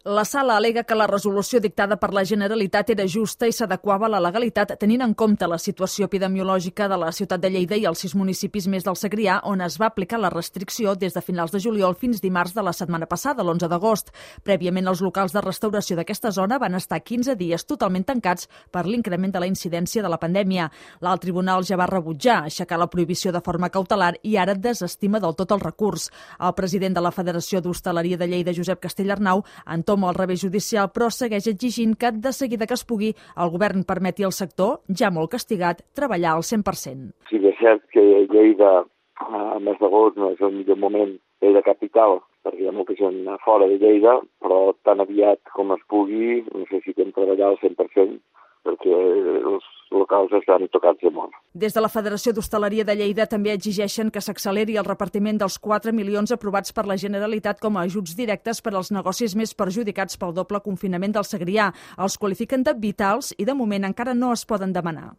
La sala al·lega que la resolució dictada per la Generalitat era justa i s'adequava a la legalitat tenint en compte la situació epidemiològica de la ciutat de Lleida i els 6 municipis més del Segrià, on es va aplicar la restricció des de finals de juliol fins dimarts de la setmana passada, l'11 d'agost. Prèviament, els locals de restauració d'aquesta zona van estar 15 dies totalment tancats per l'increment de la incidència de la pandèmia. L'alt tribunal ja va rebutjar aixecar la prohibició de forma cautelar i ara desestima del tot el recurs. El president de la Federació d'Hostaleria de Lleida, Josep Castellarnau, entoma el revés judicial, però segueix exigint que, de seguida que es pugui, el govern permeti al sector, ja molt castigat, treballar al 100%. Sí que és cert que Lleida, a mes d'agost, no és el millor moment, Lleida capital, perquè hi ha molta gent fora de Lleida, però tan aviat com es pugui necessitem treballar al 100%, perquè els locals estan tocats de mort. Des de la Federació d'Hostaleria de Lleida també exigeixen que s'acceleri el repartiment dels 4 milions aprovats per la Generalitat com a ajuts directes per als negocis més perjudicats pel doble confinament del Segrià. Els qualifiquen de vitals i de moment encara no es poden demanar.